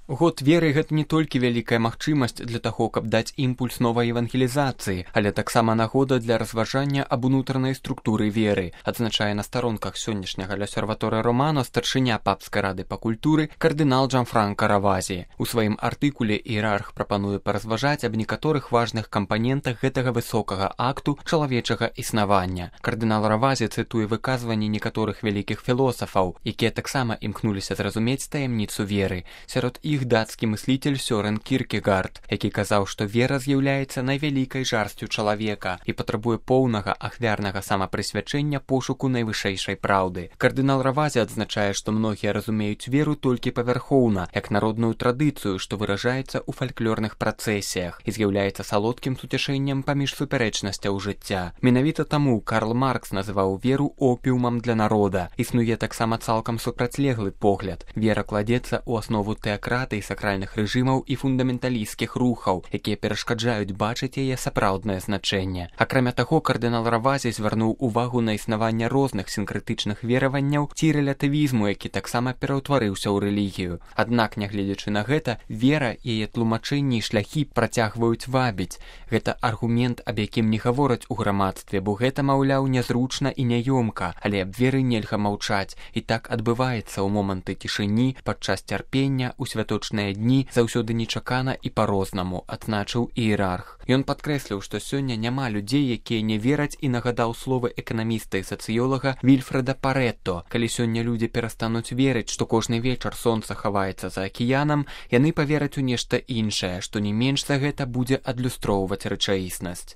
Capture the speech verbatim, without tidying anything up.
Год веры гэта не толькі вялікая магчымасць для таго, каб даць імпульс новай евангелізацыі, але таксама нагода для разважання аб унутранай структуры веры, адзначае на старонках сённяшняга L'Osservatore Romano старшыня папскай рады па культуры кардынал Джанфранко Равазі. У сваім артыкуле іерарх прапануе паразважаць аб некаторых важных кампанентах гэтага высокага акту чалавечага існавання. Кардынал Равазі цытуе выказванні некаторых вялікіх філосафаў, якія таксама імкнуліся зразумець таямніцу веры. Сярод іх іх дацкі мыслитель Сёрэн Кіркегард, які казаў, што вера з'яўляецца найвялікай жарсцю чалавека і патрабуе поўнага ахвярнага самапрысвячэння пошуку найвышэйшай праўды. Кардынал Равазі адзначае, што многія разумеюць веру толькі павярхоўна, як народную традыцыю, што выражаецца ў фальклорных працэсіях і з'яўляецца салодкім суцяшэннем паміж супярэчнасцяў жыцця. Менавіта таму Карл Маркс называў веру опіумам для народа. Існуе таксама цалкам супрацьлеглы погляд. Вера кладзецца ў аснову тэакраты і сакральных рэжымаў і фундаменталісцкіх рухаў, якія перашкаджаюць бачыць яе сапраўднае значэнне. Акрамя таго, кардынал Равазі звярнуў увагу на існаванне розных сінкрэтычных вераванняў ці рэлятывізму, які таксама пераўтварыўся ў рэлігію. Аднак, нягледзячы на гэта, вера, яе тлумачэнні і шляхі працягваюць вабіць. Гэта аргумент, аб якім не гавораць у грамадстве, бо гэта, маўляў, нязручна і няёмка, але аб веры нельга маўчаць. І так адбываецца ў моманты цішыні, падчас цярпення, у святочныя дні, заўсёды нечакана і па-рознаму, адзначыў іерарх. Ён падкрэсліў, што сёння няма людзей, якія не вераць, і нагадаў словы эканаміста і сацыёлага Вільфрэда Парэтто. Калі сёння людзі перастануць верыць, што кожны вечар сонца хаваецца за акіянам, яны павераць у нешта іншае, што не менш за гэта будзе адлюстроўваць рэчаіснасць.